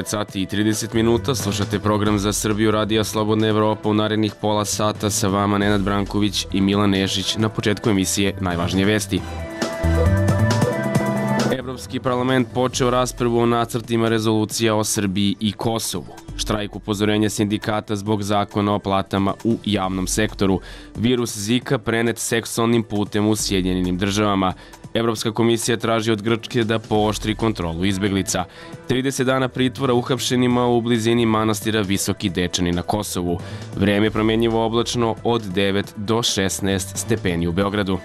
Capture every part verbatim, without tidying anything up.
devet sati i trideset minuta, slušate program za Srbiju Radija Slobodna Evropa. U narednih pola sata sa vama Nenad Branković i Milan Nešić. Na početku emisije najvažnije vesti. Evropski parlament počeo raspravu o nacrtima rezolucija o Srbiji i Kosovu. Štrajk upozorenja sindikata zbog zakona o platama u javnom sektoru. Virus Zika prenet seksualnim putem u Sjedinjenim državama. Evropska komisija traži od Grčke da pooštri kontrolu izbeglica. trideset dana pritvora uhapšenima u blizini manastira Visoki Dečani na Kosovu. Vreme je promenjivo oblačno od devet do šesnaest stepeni u Beogradu.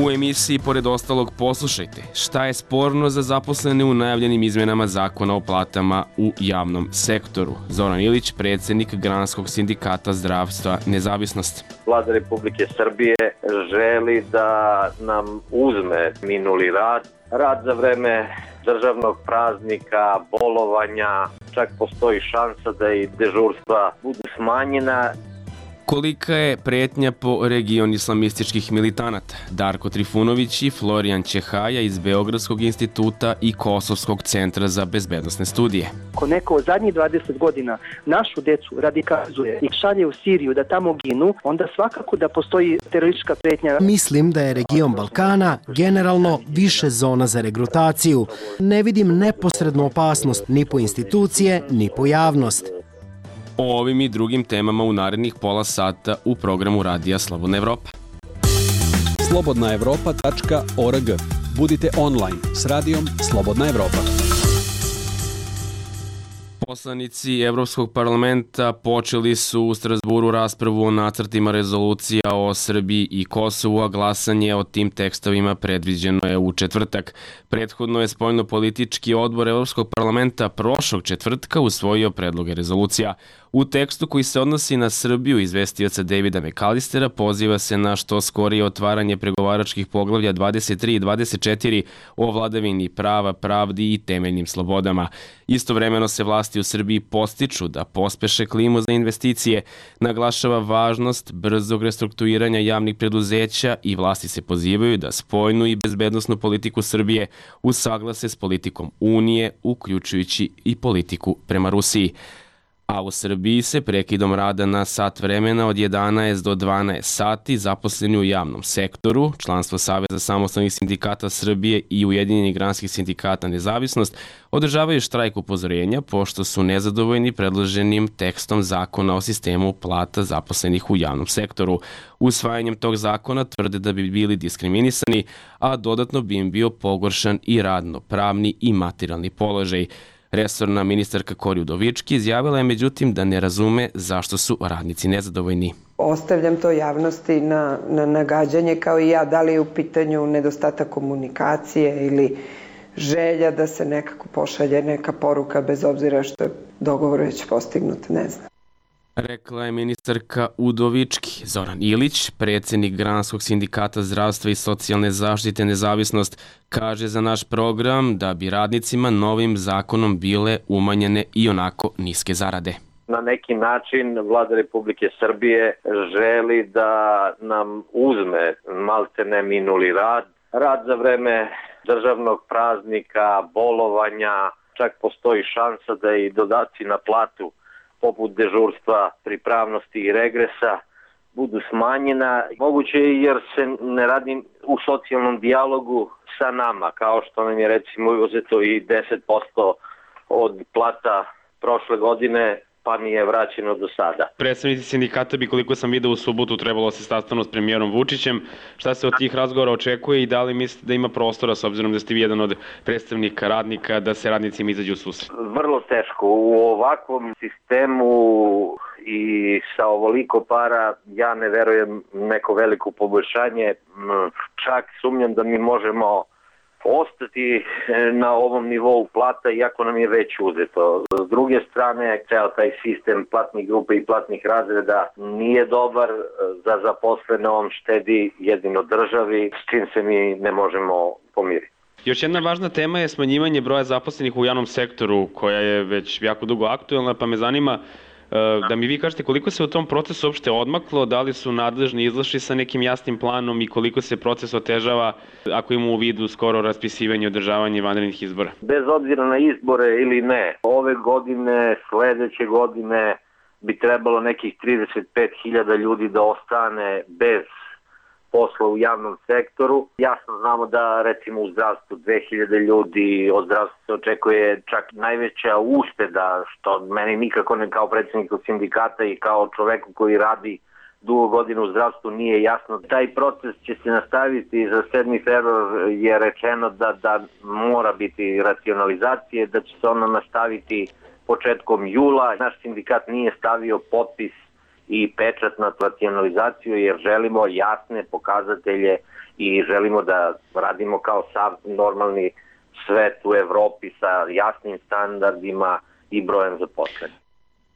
U emisiji, pored ostalog, poslušajte šta je sporno za zaposlene u najavljenim izmenama zakona o platama u javnom sektoru. Zoran Ilić, predsjednik Granskog sindikata zdravstva Nezavisnost. Vlada Republike Srbije želi da nam uzme minuli rad, rad za vreme državnog praznika, bolovanja, čak postoji šansa da i dežurstva budu smanjena. Kolika je pretnja po region islamističkih militanata? Darko Trifunović i Florijan Ćehaja iz Beogradskog instituta i Kosovskog centra za bezbednosne studije. Ako neko od zadnjih dvadeset godina našu decu radikalizuje i šalje u Siriju da tamo ginu, onda svakako da postoji teroristička pretnja. Mislim da je region Balkana generalno više zona za regrutaciju. Ne vidim neposrednu opasnost ni po institucije, ni po javnost. O ovim i drugim temama u narednih pola sata u programu Radija Slobodna Evropa. slobodna evropa tačka org. Budite online s radijom Slobodna Evropa. Poslanici Evropskog parlamenta počeli su u Strasburu raspravu o nacrtima rezolucija o Srbiji i Kosovu, a glasanje o tim tekstovima predviđeno je u četvrtak. Prethodno je spoljno-politički odbor Evropskog parlamenta prošlog četvrtka usvojio predloge rezolucija. U tekstu koji se odnosi na Srbiju izvestioca Davida McAllistera poziva se na što skorije otvaranje pregovaračkih poglavlja dvadeset tri i dvadeset četiri o vladavini prava, pravdi i temeljnim slobodama. Istovremeno se vlasti u Srbiji postiču da pospeše klimu za investicije, naglašava važnost brzog restrukturiranja javnih preduzeća i vlasti se pozivaju da spoljnu i bezbednosnu politiku Srbije usaglase s politikom Unije, uključujući i politiku prema Rusiji. A u Srbiji se prekidom rada na sat vremena od jedanaest do dvanaest sati zaposleni u javnom sektoru, članstvo Saveza samostalnih sindikata Srbije i Ujedinjenih granskih sindikata Nezavisnost održavaju štrajk upozorenja pošto su nezadovoljni predloženim tekstom zakona o sistemu plata zaposlenih u javnom sektoru. Usvajanjem tog zakona tvrde da bi bili diskriminisani, a dodatno bi im bio pogoršan i radno-pravni i materijalni položaj. Resorna ministarka Kori Udovički izjavila je međutim da ne razume zašto su radnici nezadovoljni. Ostavljam to javnosti na, na nagađanje kao i ja, da li je u pitanju nedostatak komunikacije ili želja da se nekako pošalje neka poruka bez obzira što je dogovor već postignut, ne znam. Rekla je ministarka Udovički. Zoran Ilić, predsjednik Granskog sindikata zdravstva i socijalne zaštite Nezavisnost, kaže za naš program da bi radnicima novim zakonom bile umanjene i onako niske zarade. Na neki način Vlada Republike Srbije želi da nam uzme maltene minuli rad, rad za vreme državnog praznika, bolovanja, čak postoji šansa da i dodaci na platu poput dežurstva, pripravnosti i regresa budu smanjena. Moguće je jer se ne radi u socijalnom dijalogu sa nama, kao što nam je recimo uzeto i deset posto od plata prošle godine, pa nije vraćeno do sada. Predstavnici sindikata bi, koliko sam video u subotu, trebalo se sastanu s premijerom Vučićem. Šta se od tih razgovora očekuje i da li mislite da ima prostora, s obzirom da ste vi jedan od predstavnika radnika, da se radnicima izađe u susret? Vrlo teško. U ovakvom sistemu i sa ovoliko para ja ne verujem neko veliko poboljšanje. Čak sumnjam da mi možemo ostati na ovom nivou plata iako nam je već uzeto. S druge strane, ceo taj sistem platnih grupa i platnih razreda nije dobar za zaposlene, on štedi jedino državi, s čim se mi ne možemo pomiriti. Još jedna važna tema je smanjivanje broja zaposlenih u javnom sektoru, koja je već jako dugo aktuelna, pa me zanima Da mi vi kažete koliko se u tom procesu uopšte odmaklo, da li su nadležni izašli sa nekim jasnim planom i koliko se proces otežava ako ima u vidu skoro raspisivanje i održavanje vanrednih izbora? Bez obzira na izbore ili ne, ove godine, sledeće godine bi trebalo nekih trideset pet hiljada ljudi da ostane bez posla u javnom sektoru. Jasno znamo da recimo u zdravstvu dve hiljade ljudi, od zdravstva se očekuje čak najveća ušteda, što meni nikako ne kao predsjedniku sindikata i kao čoveku koji radi dugo godina u zdravstvu nije jasno. Taj proces će se nastaviti za sedmi februar, je rečeno da, da mora biti racionalizacije, da će se ono nastaviti početkom jula. Naš sindikat nije stavio potpis i pečat na racionalizaciju jer želimo jasne pokazatelje i želimo da radimo kao sav normalni svet u Evropi sa jasnim standardima i brojem zaposlenih.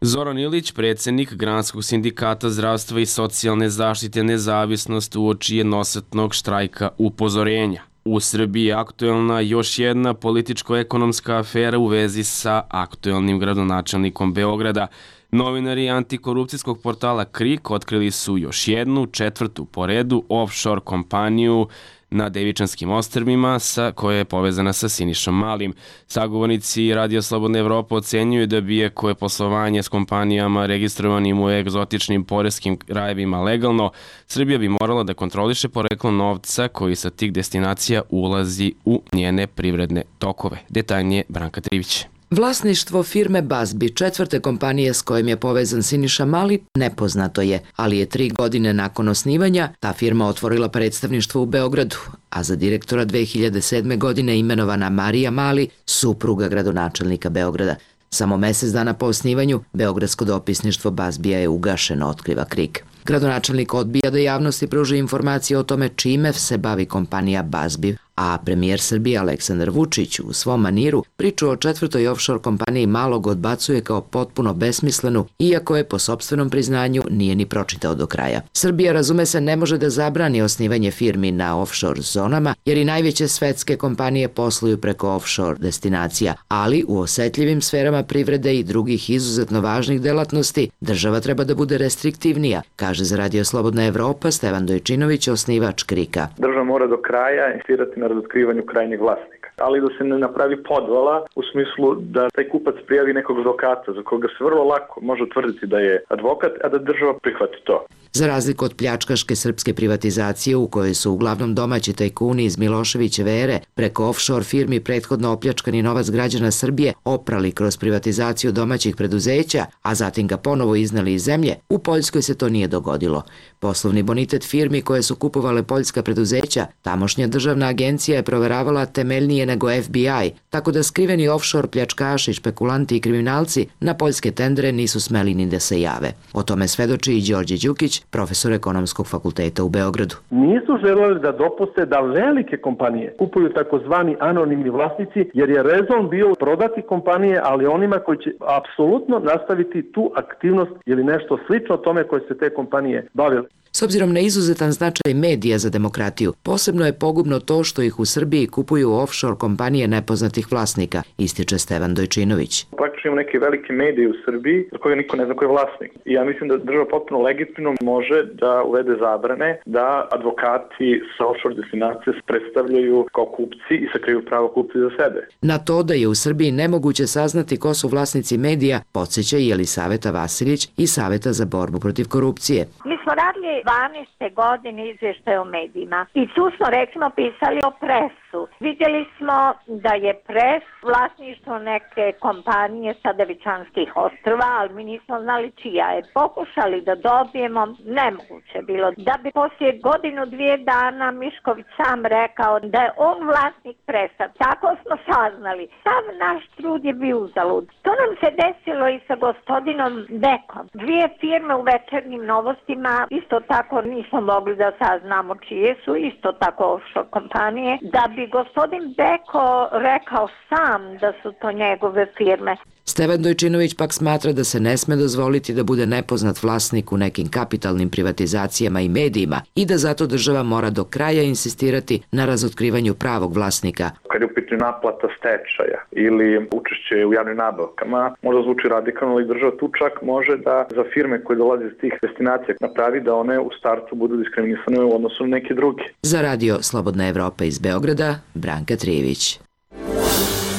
Zoran Ilić, predsjednik Granskog sindikata zdravstva i socijalne zaštite Nezavisnost, uoči jednosatnog štrajka upozorenja. U Srbiji je aktuelna još jedna političko-ekonomska afera u vezi sa aktuelnim gradonačelnikom Beograda. Novinari antikorupcijskog portala Krik otkrili su još jednu, četvrtu po redu, offshore kompaniju na Devičanskim ostrvima sa koja je povezana sa Sinišom Malim. Sagovornici Radio Slobodna Evropa ocenjuju da bi je koje poslovanje s kompanijama registrovanim u egzotičnim poreskim rajevima legalno, Srbija bi morala da kontroliše poreklo novca koji sa tih destinacija ulazi u njene privredne tokove. Detaljnije Branka Trivić. Vlasništvo firme Bazbi, četvrte kompanije s kojim je povezan Siniša Mali, nepoznato je, ali je tri godine nakon osnivanja ta firma otvorila predstavništvo u Beogradu, a za direktora dve hiljade sedme. godine imenovana Marija Mali, supruga gradonačelnika Beograda. Samo mesec dana po osnivanju, beogradsko dopisništvo Bazbija je ugašeno, otkriva Krik. Gradonačelnik odbija da javnosti pruži informacije o tome čime se bavi kompanija Bazbi, a premijer Srbije Aleksandar Vučić u svom maniru priču o četvrtoj offshore kompaniji malog odbacuje kao potpuno besmislenu, iako je po sopstvenom priznanju nije ni pročitao do kraja. Srbija, razume se, ne može da zabrani osnivanje firmi na offshore zonama, jer i najveće svetske kompanije posluju preko offshore destinacija, ali u osetljivim sferama privrede i drugih izuzetno važnih delatnosti država treba da bude restriktivnija, kaže za Radio Slobodna Evropa Stevan Dojčinović, osnivač Krika. Država mora do kraja insistirati na razotkrivanju krajnjeg vlasnika, ali da se ne napravi podvala u smislu da taj kupac prijavi nekog advokata za koga se vrlo lako može utvrditi da je advokat, a da država prihvati to. Za razliku od pljačkaške srpske privatizacije u kojoj su uglavnom domaći tajkuni iz Miloševićeve ere preko offshore firmi prethodno opljačkani novac građana Srbije oprali kroz privatizaciju domaćih preduzeća, a zatim ga ponovo iznali iz zemlje, u Poljskoj se to nije dogodilo. Poslovni bonitet firmi koje su kupovale poljska preduzeća, tamošnja državna agencija je proveravala temeljnije nego F B I, tako da skriveni offshore pljačkaši, špekulanti i kriminalci na poljske tendere nisu smeli ni da se jave. O tome svedoči i Đorđe Đukić, profesor ekonomskog fakulteta u Beogradu. Nisu želeli da dopuste da velike kompanije kupuju takozvani anonimni vlasnici, jer je rezon bio prodati kompanije, ali onima koji će apsolutno nastaviti tu aktivnost ili nešto slično tome koje se te kompanije bavile. S obzirom na izuzetan značaj medija za demokratiju, posebno je pogubno to što ih u Srbiji kupuju offshore kompanije nepoznatih vlasnika, ističe Stevan Dojčinović. Praktično imamo neke velike medije u Srbiji za koje niko ne zna ko je vlasnik. I ja mislim da država potpuno legitimno može da uvede zabrane da advokati sa offshore destinacije predstavljaju kao kupci i sakriju pravo kupci za sebe. Na to da je u Srbiji nemoguće saznati ko su vlasnici medija, podsjeća i Jelisaveta Vasilić iz Saveta za borbu protiv korupcije. Mi smo radili dvanaeste godine izvještaj o medijima i tu smo recimo pisali o presu. Vidjeli smo da je pres vlasništvo neke kompanije sa Devičanskih ostrva, ali mi nismo znali čija je. Pokušali da dobijemo, nemoguće bilo. Da bi poslije godinu, dvije dana Mišković sam rekao da je on vlasnik presa. Tako smo saznali. Sav naš trud je bio uzalud. To nam se desilo i sa gospodinom Bekom. Dvije firme u Večernjim novostima isto tako nismo mogli da saznamo čije su, isto tako offshore kompanije, da bi gospodin Beko rekao sam da su to njegove firme. Stevan Dojčinović pak smatra da se ne sme dozvoliti da bude nepoznat vlasnik u nekim kapitalnim privatizacijama i medijima i da zato država mora do kraja insistirati na razotkrivanju pravog vlasnika. Kad je u pitanju naplata stečaja ili učešće u javnim nabavkama, možda zvuči radikalno, ali država tu čak može da za firme koje dolaze iz tih destinacija napravi da one u startu budu diskriminisane u odnosu na neke druge. Za radio Slobodna Evropa iz Beograda, Branka Trijević.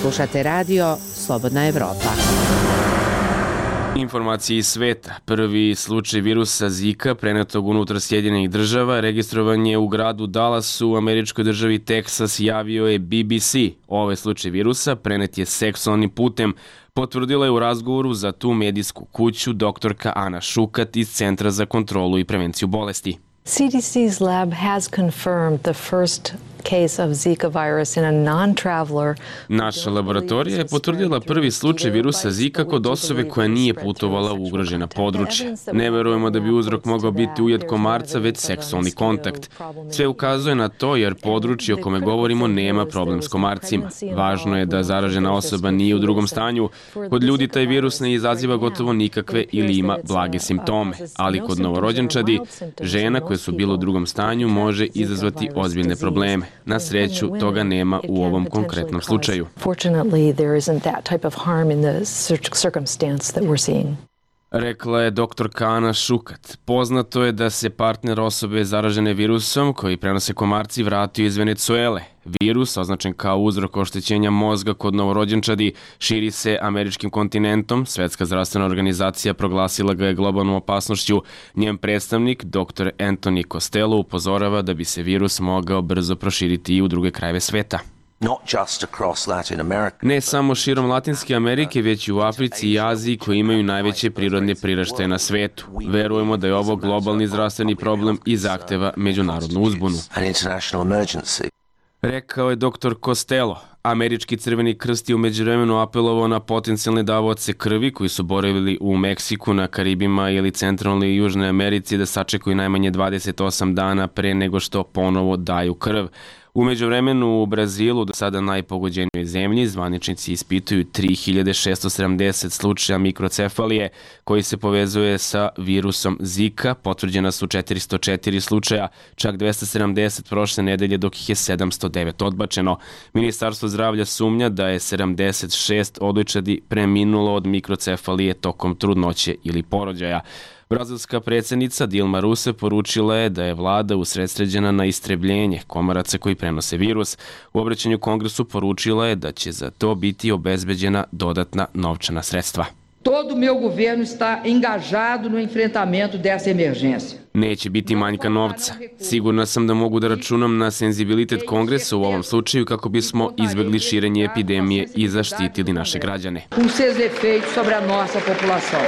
Slušate radio Slobodna Evropa. Informacije iz sveta. Prvi slučaj virusa Zika prenetog unutar Sjedinjenih država registrovan je u gradu Dallasu u američkoj državi Teksas, javio je B B C. Ovaj slučaj virusa prenet je seksualnim putem, potvrdila je u razgovoru za tu medijsku kuću doktorka Ana Šukat iz Centra za kontrolu i prevenciju bolesti. C D C's lab has confirmed the first case of Zika virus in a non-traveler. Naša laboratorija je potvrdila prvi slučaj virusa Zika kod osobe koja nije putovala u ugrožena područja. Ne verujemo da bi uzrok mogao biti ujed komarca, već seksualni kontakt. Sve ukazuje na to jer područje o kome govorimo nema problem s komarcima. Važno je da zaražena osoba nije u drugom stanju. Kod ljudi taj virus ne izaziva gotovo nikakve ili ima blage simptome, ali kod novorođenčadi, žena koje su bile u drugom stanju može izazvati ozbiljne probleme. Na sreću, toga nema u ovom konkretnom slučaju. Rekla je doktorka Ana Šukat. Poznato je da se partner osobe zaražene virusom koji prenose komarci vratio iz Venecuele. Virus, označen kao uzrok oštećenja mozga kod novorođenčadi, širi se američkim kontinentom. Svetska zdravstvena organizacija proglasila ga je globalnom opasnošću. Njen predstavnik, doktor Anthony Costello, upozorava da bi se virus mogao brzo proširiti i u druge krajeve sveta. Ne samo širom Latinske Amerike, već i u Africi i Aziji koji imaju najveće prirodne priraštaje na svetu. Verujemo da je ovo globalni zdravstveni problem i zahteva međunarodnu uzbunu. Rekao je doktor Costello. Američki Crveni krst je u međuvremenu apelovao na potencijalne davaoce krvi koji su boravili u Meksiku, na Karibima ili Centralnoj i Južnoj Americi da sačekaju najmanje dvadeset osam dana pre nego što ponovo daju krv. U međuvremenu u Brazilu, do sada najpogođenijoj zemlji, zvaničnici ispituju tri hiljade šesto sedamdeset slučaja mikrocefalije koji se povezuje sa virusom Zika. Potvrđena su četiristo četiri slučaja, čak dvesta sedamdeset prošle nedelje, dok ih je sedamsto devet odbačeno. Ministarstvo zdravlja sumnja da je sedamdeset šest odojčadi preminulo od mikrocefalije tokom trudnoće ili porođaja. Brazilska predsjednica Dilma Rousseff poručila je da je vlada usredsređena na istrebljenje komaraca koji prenose virus. U obraćanju Kongresu poručila je da će za to biti obezbeđena dodatna novčana sredstva. Todo meu governo está engajado no enfrentamento dessa emergência. Neće biti manjka novca. Sigurna sam da mogu da računam na senzibilitet Kongresa u ovom slučaju kako bismo izbegli širenje epidemije i zaštitili naše građane. Com seus efeitos sobre a nossa população.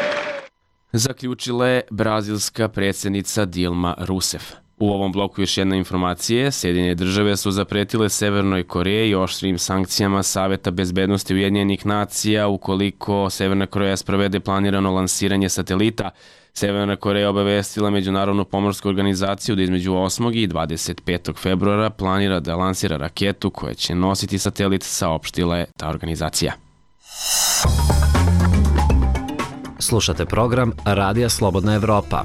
Zaključila je brazilska predsjednica Dilma Rousseff. U ovom bloku još jedna informacija. Sjedinjene države su zapretile Severnoj Koreji oštrim sankcijama Saveta bezbednosti Ujedinjenih nacija ukoliko Severna Koreja sprovede planirano lansiranje satelita. Severna Koreja obavestila Međunarodnu pomorsku organizaciju da između osmog i dvadeset petog februara planira da lansira raketu koja će nositi satelit, saopštila je ta organizacija. Slušate program Radija Slobodna Evropa.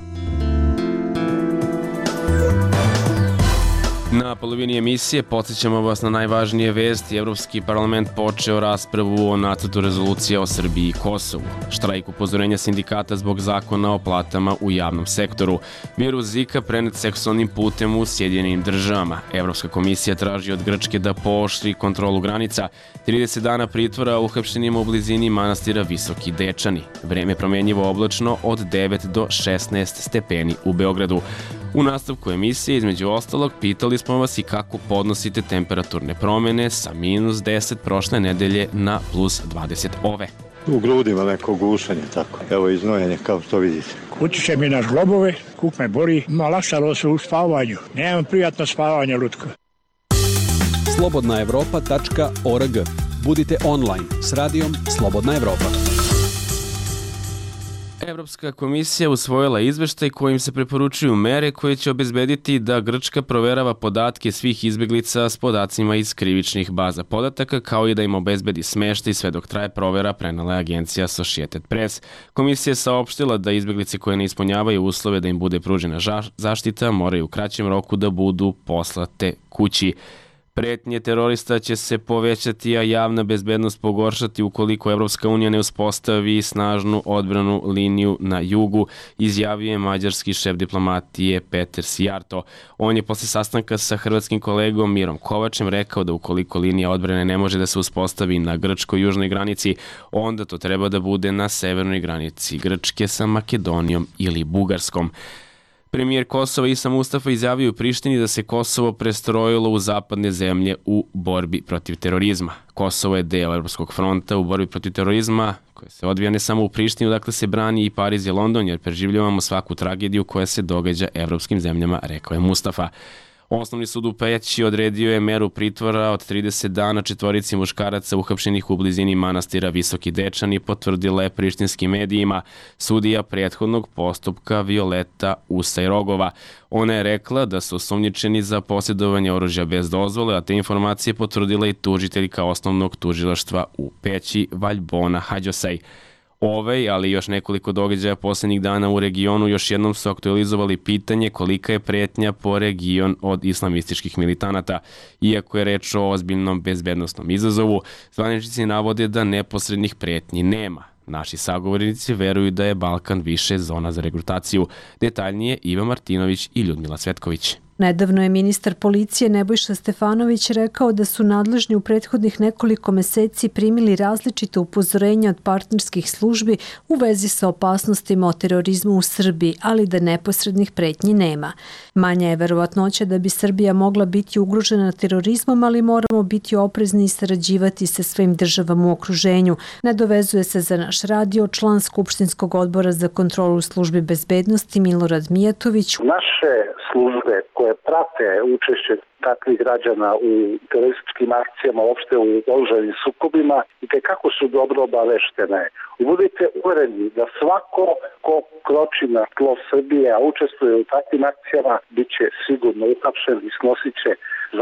Na polovini emisije podsjećamo vas na najvažnije vesti. Evropski parlament počeo raspravu o nacrtu rezolucije o Srbiji i Kosovu. Štrajk upozorenja sindikata zbog zakona o platama u javnom sektoru. Virus Zika prenet seksualnim putem u Sjedinjenim državama. Evropska komisija traži od Grčke da pooštri kontrolu granica. trideset dana pritvora uhapšenima u blizini manastira Visoki Dečani. Vreme promenjivo oblačno od devet do šesnaest stepeni u Beogradu. U nastavku emisije, između ostalog, pitali smo vas i kako podnosite temperaturne promene sa minus deset prošle nedelje na plus dvadeset ove. U grudima neko gušanje, tako. Evo iznojenje, kao što vidite. Utiče mi na žlobove, kuk me bori, olakšalo se u spavanju. Nemam prijatno spavanje, Lutko. slobodna evropa tačka org. Budite online s radijom Slobodna Evropa. Evropska komisija usvojila izveštaj kojim se preporučuju mere koje će obezbediti da Grčka proverava podatke svih izbeglica s podacima iz krivičnih baza podataka, kao i da im obezbedi smeštaj sve dok traje provera, prenela je agencija Associated Press. Komisija je saopštila da izbeglice koje ne ispunjavaju uslove da im bude pružena zaštita moraju u kraćem roku da budu poslate kući. Pretnje terorista će se povećati, a javna bezbednost pogoršati ukoliko Evropska unija ne uspostavi snažnu odbranu liniju na jugu, izjavio je mađarski šef diplomatije Peter Sijarto. On je posle sastanka sa hrvatskim kolegom Mirom Kovačem rekao da ukoliko linija odbrane ne može da se uspostavi na grčkoj južnoj granici, onda to treba da bude na severnoj granici Grčke sa Makedonijom ili Bugarskom. Premijer Kosova Isa Mustafa izjavio u Prištini da se Kosovo prestrojilo u zapadne zemlje u borbi protiv terorizma. Kosovo je deo Evropskog fronta u borbi protiv terorizma, koje se odvija ne samo u Prištini, dakle se brani i Pariz i London, jer preživljavamo svaku tragediju koja se događa evropskim zemljama, rekao je Mustafa. Osnovni sud u Peći odredio je meru pritvora od trideset dana četvorici muškaraca uhapšenih u blizini manastira Visoki Dečani, potvrdila je prištinskim medijima sudija prethodnog postupka Violeta Usajrogova. Ona je rekla da su osumnjičeni za posjedovanje oružja bez dozvole, a te informacije potvrdila i tužiteljka osnovnog tužilaštva u Peći Valjbona Hađosaj. Ovaj, ali još nekoliko događaja poslednjih dana u regionu još jednom su aktualizovali pitanje kolika je pretnja po region od islamističkih militanata. Iako je reč o ozbiljnom bezbednostnom izazovu, zvaničnici navode da neposrednih pretnji nema. Naši sagovornici veruju da je Balkan više zona za regrutaciju. Detaljnije Iva Martinović i Ljudmila Cvetković. Nedavno je ministar policije Nebojša Stefanović rekao da su nadležni u prethodnih nekoliko meseci primili različite upozorenja od partnerskih službi u vezi sa opasnostima o terorizmu u Srbiji, ali da neposrednih pretnji nema. Manja je verovatnoća da bi Srbija mogla biti ugrožena terorizmom, ali moramo biti oprezni i sarađivati sa svojim državama u okruženju. Nadovezuje se za naš radio član Skupštinskog odbora za kontrolu službi bezbednosti Milorad Mijatović. Naše službe koje prate učešće takvih građana u terorističkim akcijama, uopšte u oružanim sukobima, i kako su dobro obaveštene. I budite uvereni da svako ko kroči na tlo Srbije, a učestvuje u takvim akcijama, bit će sigurno uhapšen i snosit će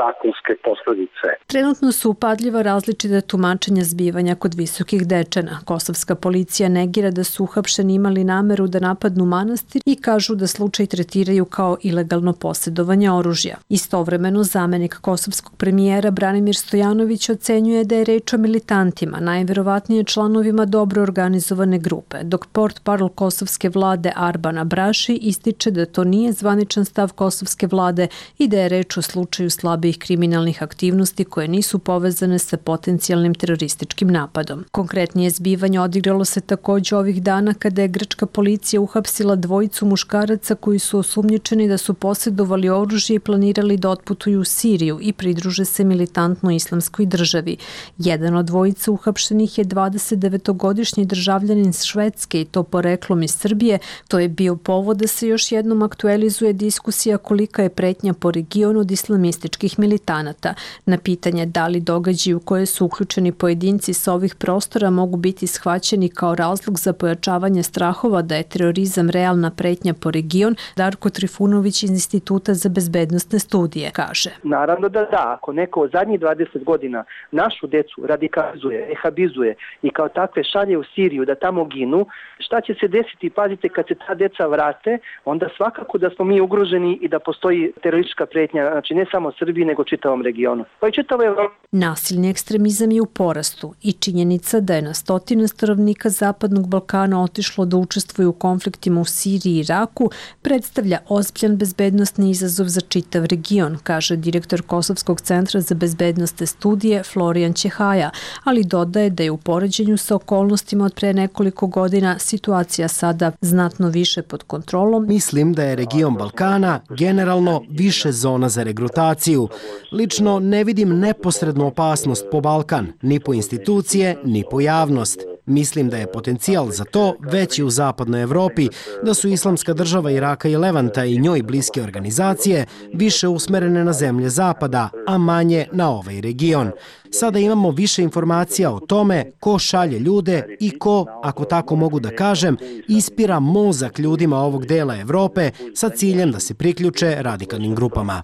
zakonske posledice. Trenutno su upadljiva različita tumačenja zbivanja kod Visokih Dečana. Kosovska policija negira da su uhapšeni imali nameru da napadnu manastir i kažu da slučaj tretiraju kao ilegalno posjedovanje oružja. Istovremeno, zamenik kosovskog premijera Branimir Stojanović ocenjuje da je reč o militantima, najverovatnije članovima dobro organizovane grupe, dok portparol kosovske vlade Arbana Braši ističe da to nije zvaničan stav kosovske vlade i da je reč o slučaju slabijih kriminalnih aktivnosti koje nisu povezane sa potencijalnim terorističkim napadom. Konkretnije zbivanje odigralo se takođe ovih dana kada je grčka policija uhapsila dvojicu muškaraca koji su osumnjičeni da su posjedovali oružje i planirali da otputuju u Siriju i pridruže se militantnoj islamskoj državi. Jedan od dvojica uhapšenih je dvadesetdevetogodišnji državljanin Švedske i to poreklom iz Srbije. To je bio povod da se još jednom aktualizuje diskusija kolika je pretnja po regionu od islamističkih militanata. Na pitanje da li događaji u koje su uključeni pojedinci sa ovih prostora mogu biti shvaćeni kao razlog za pojačavanje strahova da je terorizam realna pretnja po region, Darko Trifunović iz Instituta za bezbednostne studije kaže. Naravno da da, ako neko od zadnjih dvadeset godina našu decu radikalizuje, rehabizuje i kao takve šalje u Siriju da tamo ginu, šta će se desiti, pazite, kad se ta deca vrate, onda svakako da smo mi ugroženi i da postoji teroristička pretnja, znači ne samo Srbiji, nego čitavom regionu. Pa i čitavoj Evropi. Nasilni ekstremizam je u porastu i činjenica da je na stotine stanovnika Zapadnog Balkana otišlo da učestvuju u konfliktima u Siriji i Iraku predstavlja ozbiljan bezbednosni izazov za čitav region, kaže direktor Kosovskog centra za bezbednostne studije Florijan Ćehaja, ali dodaje da je u poređenju sa okolnostima od pre nekoliko godina situacija sada znatno više pod kontrolom. Mislim da je region Balkana generalno više zona za regrutaciju. Lično ne vidim neposrednu opasnost po Balkan, ni po institucije, ni po javnost. Mislim da je potencijal za to veći u zapadnoj Evropi, da su Islamska država Iraka i Levanta i njoj bliske organizacije više usmerene na zemlje zapada, a manje na ovaj region. Sada imamo više informacija o tome ko šalje ljude i ko, ako tako mogu da kažem, ispira mozak ljudima ovog dela Evrope sa ciljem da se priključe radikalnim grupama.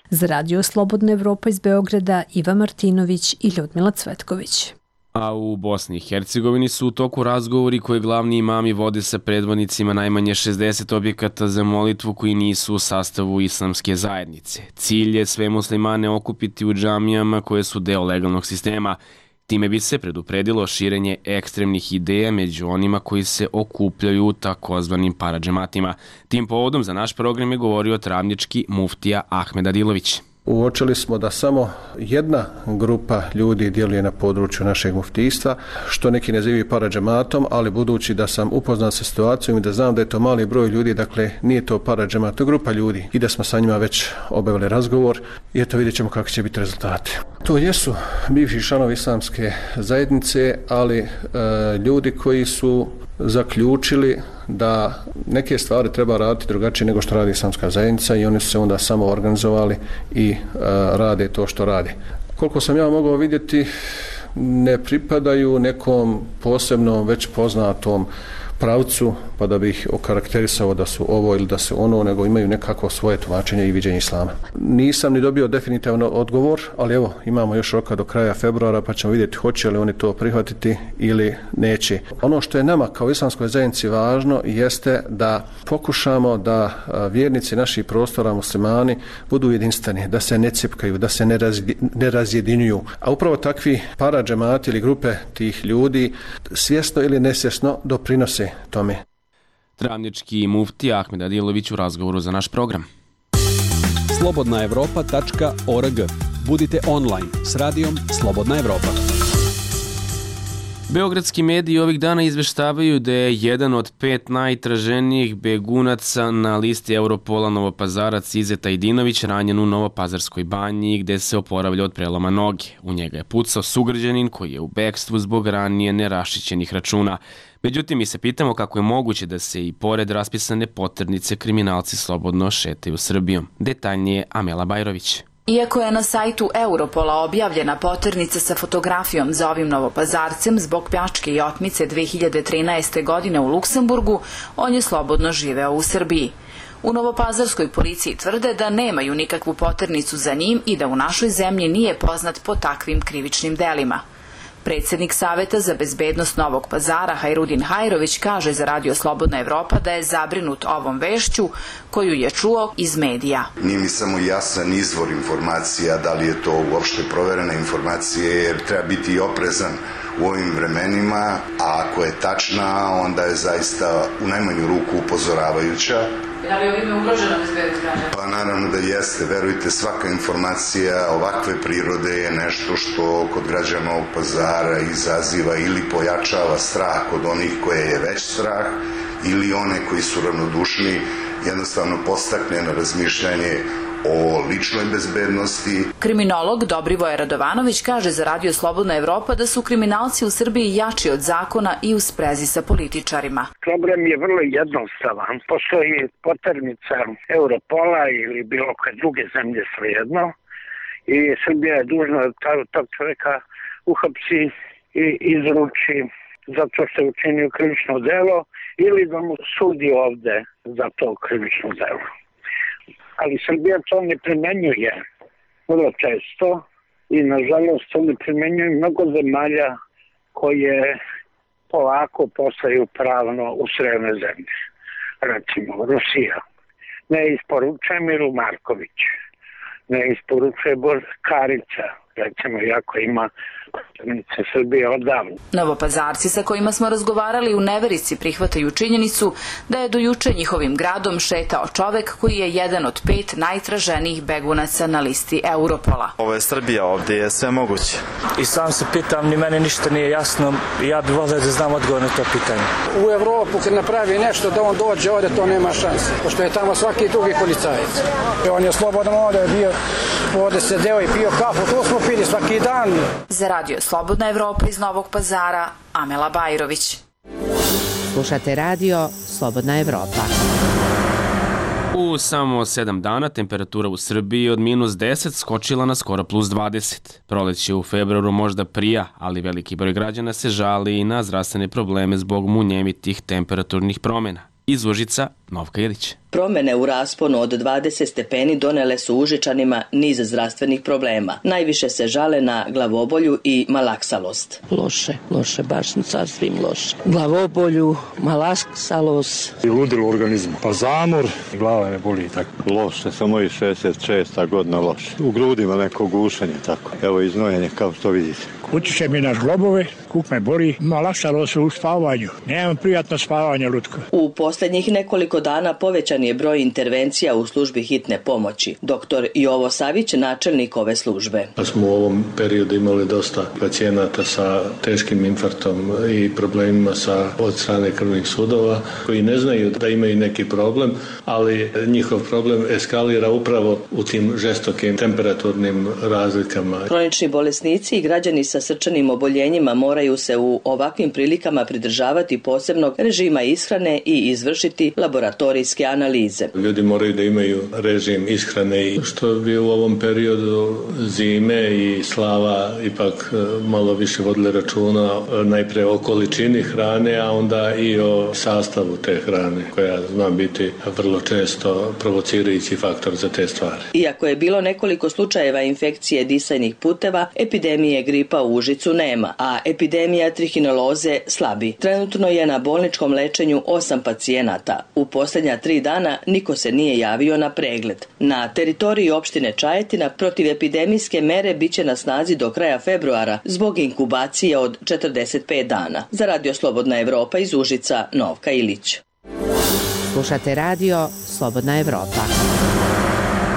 Za Radio Slobodna Evropa iz Beograda, Iva Martinović i Ljudmila Cvetković. A u Bosni i Hercegovini su u toku razgovori koje glavni imami vode sa predvodnicima najmanje šezdeset objekata za molitvu koji nisu u sastavu islamske zajednice. Cilj je sve muslimane okupiti u džamijama koje su deo legalnog sistema. Time bi se predupredilo širenje ekstremnih ideja među onima koji se okupljaju u takozvanim paradžematima. Tim povodom za naš program je govorio travnički muftija Ahmed Adilović. Uočili smo da samo jedna grupa ljudi djeluje na području našeg muftijstva, što neki nazivaju paradžematom, ali budući da sam upoznat sa situacijom i da znam da je to mali broj ljudi, dakle nije to paradžemat, to je grupa ljudi i da smo sa njima već obavili razgovor i eto vidjet ćemo kakvi će biti rezultati. To jesu bivši članovi islamske zajednice, ali e, ljudi koji su zaključili da neke stvari treba raditi drugačije nego što radi islamska zajednica i oni su se onda samo organizovali i e, rade to što rade. Koliko sam ja mogao vidjeti, ne pripadaju nekom posebnom već poznatom pravcu, pa da bih okarakterisao da su ovo ili da su ono, nego imaju nekako svoje tumačenje i viđenje islama. Nisam ni dobio definitivno odgovor, ali evo, imamo još roka do kraja februara, pa ćemo vidjeti hoće li oni to prihvatiti ili neće. Ono što je nama kao islamskoj zajednici važno jeste da pokušamo da vjernici naših prostora, muslimani, budu jedinstveni, da se ne cipkaju, da se ne, razdi, ne razjedinjuju. A upravo takvi paradžemati ili grupe tih ljudi svjesno ili nesvjesno doprinose tome. Travnički muftija Ahmed Adilović u razgovoru za naš program. slobodna evropa tačka org. Budite online s radijom Slobodna Evropa. Beogradski mediji ovih dana izveštavaju da je jedan od pet najtraženijih begunaca na listi Europola Novopazarac Izeta Idinović ranjen u Novopazarskoj banji gde se oporavlja od preloma noge. U njega je pucao sugrađanin koji je u bekstvu zbog ranije nerašićenih računa. Međutim, mi se pitamo kako je moguće da se i pored raspisane poternice kriminalci slobodno šetaju Srbijom. Detaljnije Amela Bajrović. Iako je na sajtu Europola objavljena poternica sa fotografijom za ovim Novopazarcem zbog pljačke i otmice dve hiljade trinaeste. godine u Luksemburgu, on je slobodno živeo u Srbiji. U Novopazarskoj policiji tvrde da nemaju nikakvu poternicu za njim i da u našoj zemlji nije poznat po takvim krivičnim delima. Predsjednik Saveta za bezbednost Novog Pazara Hajrudin Hajrović kaže za Radio Slobodna Evropa da je zabrinut ovom vešću koju je čuo iz medija. Nije mi samo jasan izvor informacija, da li je to uopšte proverena informacija, jer treba biti oprezan u ovim vremenima, a ako je tačna, onda je zaista u najmanju ruku upozoravajuća. Da li je ovime ugrožena bezbednost građana? Pa naravno da jeste. Verujte, svaka informacija ovakve prirode je nešto što kod građana Novog Pazara izaziva ili pojačava strah kod onih koje je već strah ili one koji su ravnodušni, jednostavno postakne na razmišljanje o ličnoj bezbednosti. Kriminolog Dobrivoje Radovanović kaže za Radio Slobodna Evropa da su kriminalci u Srbiji jači od zakona i u sprezi sa političarima. Problem je vrlo jednostavan. Postoji poternica Europola ili bilo koje druge zemlje svejedno i Srbija je dužna da tog čovjeka uhapsi i izruči zato što je učinio krivično delo ili da mu sudi ovde za to krivično delo. Ali Srbija to ne primenjuje vrlo često i nažalost to ne primenjuje mnogo zemalja koje polako postaju pravno ustrojene zemlje. Recimo Rusija ne isporučuje Miru Marković, ne isporučuje Karica, recimo jako ima poternice Srbije odavno. Novopazarci sa kojima smo razgovarali u neverici prihvataju činjenicu da je do juče njihovim gradom šetao čovek koji je jedan od pet najtraženijih begunaca na listi Europola. Ovo je Srbija, ovdje je sve moguće. I sam se pitam, ni meni ništa nije jasno, ja bih volio da znam odgovor na to pitanje. U Evropu kad napravi nešto da on dođe ovdje, to nema šanse, pošto je tamo svaki drugi policajac. On je slobodan, ovdje je bio, ovdje sedeo i pio kafu, to smo pili svaki dan. Za Radio Slobodna Evropa iz Novog Pazara, Amela Bajrović. Slušate radio Slobodna Evropa. U samo sedam dana temperatura u Srbiji od minus deset skočila na skoro plus dvadeset. Proleće u februaru možda prija, ali veliki broj građana se žali i na zdravstvene probleme zbog munjevitih temperaturnih promjena. Iz Užica, Novka Ilić. Promene u rasponu od dvadeset stepeni donele su Užičanima niz zdravstvenih problema. Najviše se žale na glavobolju i malaksalost. Loše, loše, baš sasvim loše. Glavobolju, malaksalost. I ludilo u organizmu. Pa zamor, glava me boli i tako. Loše, samo i šezdeset šesta godina loše. U grudima neko gušanje tako. Evo i znojenje kao što vidite. Utiče mi na zglobove, kuk me boli, malaksalost u spavanju. Nemam prijatno spavanje, Lutko. U posljednjih nekoliko dana povećan je broj intervencija u službi hitne pomoći. Doktor Jovo Savić, načelnik ove službe. Pa smo u ovom periodu imali dosta pacijenata sa teškim infarktom i problemima sa od strane krvnih sudova koji ne znaju da imaju neki problem, ali njihov problem eskalira upravo u tim žestokim temperaturnim razlikama. Kronični bolesnici i građani sa srčanim oboljenjima moraju se u ovakvim prilikama pridržavati posebnog režima ishrane i izvršiti laboratorijske analize. Ljudi moraju da imaju režim ishrane i što bi u ovom periodu zime i slava ipak malo više vodili računa najpre o količini hrane, a onda i o sastavu te hrane koja zna biti vrlo često provocirajući faktor za te stvari. Iako je bilo nekoliko slučajeva infekcije disajnih puteva, epidemije gripa u Užicu nema, a epidemija trihineloze slabi. Trenutno je na bolničkom lečenju osam pacijenata. U posljednja tri dana niko se nije javio na pregled. Na teritoriji opštine Čajetina protivepidemijske mere biće na snazi do kraja februara zbog inkubacije od četrdeset pet dana. Za Radio Slobodna Evropa iz Užica, Novka Ilić. Slušate radio Slobodna Evropa.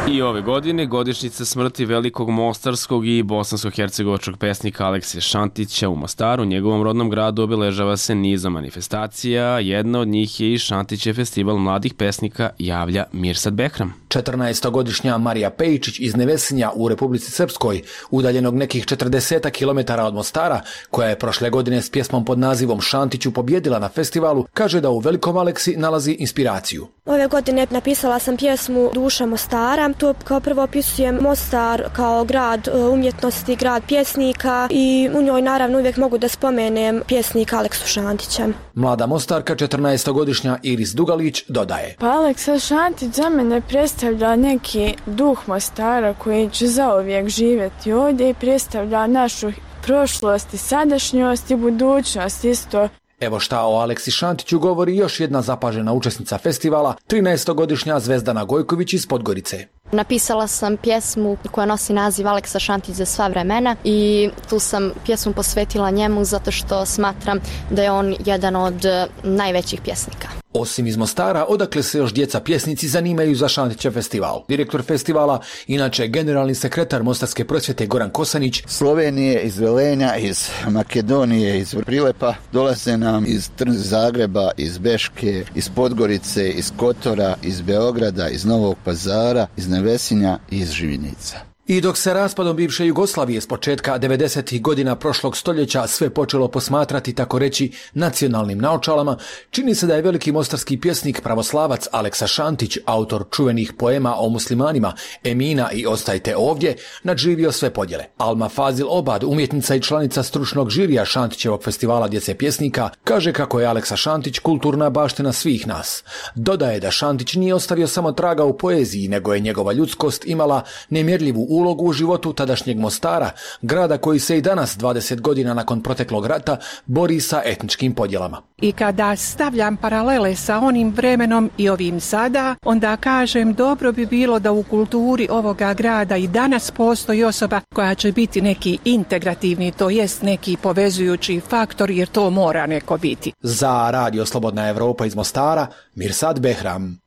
I ove godine godišnjica smrti velikog mostarskog i bosansko-hercegovačkog pesnika Aleksija Šantića u Mostaru, njegovom rodnom gradu, obeležava se nizom manifestacija. Jedna od njih je i Šantićev festival mladih pesnika, javlja Mirsad Behram. četrnaestogodišnja Marija Pejičić iz Nevesinja u Republici Srpskoj, udaljenog nekih četrdeset kilometara od Mostara, koja je prošle godine s pjesmom pod nazivom Šantiću pobjedila na festivalu, kaže da u velikom Aleksi nalazi inspiraciju. Ove godine napisala sam pjesmu Duša Mostara. Tu kao prvo opisujem Mostar kao grad umjetnosti, grad pjesnika i u njoj naravno uvijek mogu da spomenem pjesnika Aleksu Šantića. Mlada Mostarka, četrnaestogodišnja Iris Dugalić, dodaje. Pa Aleksa Šantić za mene predstavlja neki duh Mostara koji će zauvijek živjeti ovdje i predstavlja našu prošlost i sadašnjost i budućnost isto. Evo šta o Aleksi Šantiću govori još jedna zapažena učesnica festivala, trinaestogodišnja Zvezdana Gojković iz Podgorice. Napisala sam pjesmu koja nosi naziv Aleksa Šantić za sva vremena i tu sam pjesmu posvetila njemu zato što smatram da je on jedan od najvećih pjesnika. Osim iz Mostara, odakle se još djeca pjesnici zanimaju za Šantićev festival. Direktor festivala, inače generalni sekretar Mostarske prosvjete Goran Kosanić. Slovenije, iz Velenja, iz Makedonije, iz Prilepa, dolaze nam iz Zagreba, iz Beške, iz Podgorice, iz Kotora, iz Beograda, iz Novog Pazara, iz Nevesinja i iz Živinica. I dok se raspadom bivše Jugoslavije s početka devedesetih godina prošlog stoljeća sve počelo posmatrati, tako reći, nacionalnim naočalama, čini se da je veliki mostarski pjesnik pravoslavac Aleksa Šantić, autor čuvenih poema o muslimanima Emina i Ostajte ovdje, nadživio sve podjele. Alma Fazil Obad, umjetnica i članica stručnog žirija Šantićevog festivala djece pjesnika, kaže kako je Aleksa Šantić kulturna baština svih nas. Dodaje da Šantić nije ostavio samo traga u poeziji, nego je njegova ljudskost imala nemjerljivu ulogu u životu tadašnjeg Mostara, grada koji se i danas, dvadeset godina nakon proteklog rata, bori sa etničkim podjelama. I kada stavljam paralele sa onim vremenom i ovim sada, onda kažem dobro bi bilo da u kulturi ovoga grada i danas postoji osoba koja će biti neki integrativni, to jest neki povezujući faktor, jer to mora neko biti. Za Radio Slobodna Evropa iz Mostara, Mirsad Behram.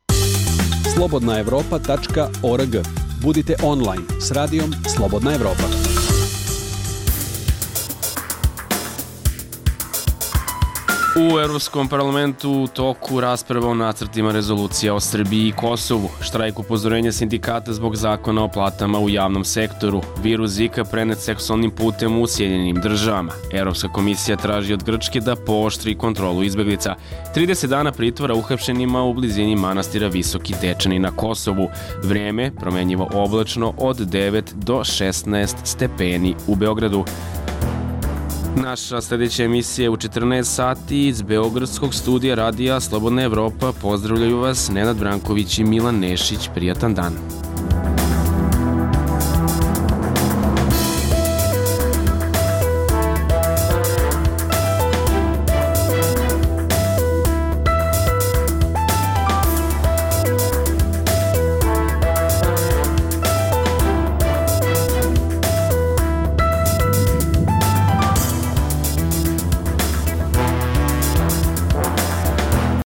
slobodna evropa tačka org. Budite online s radijom Slobodna Evropa. U Evropskom parlamentu u toku rasprava o nacrtima rezolucija o Srbiji i Kosovu, štrajk upozorenja sindikata zbog zakona o platama u javnom sektoru, virus Zika prenet seksualnim putem u Sjedinjenim državama. Evropska komisija traži od Grčke da pooštri kontrolu izbeglica. trideset dana pritvora uhapšenima u blizini manastira Visoki Dečani na Kosovu. Vreme promenjivo oblačno od devet do šesnaest stepeni u Beogradu. Naša sljedeća emisija je u četrnaest sati iz Beogradskog studija radija Slobodna Evropa. Pozdravljaju vas Nenad Branković i Milan Nešić. Prijatan dan.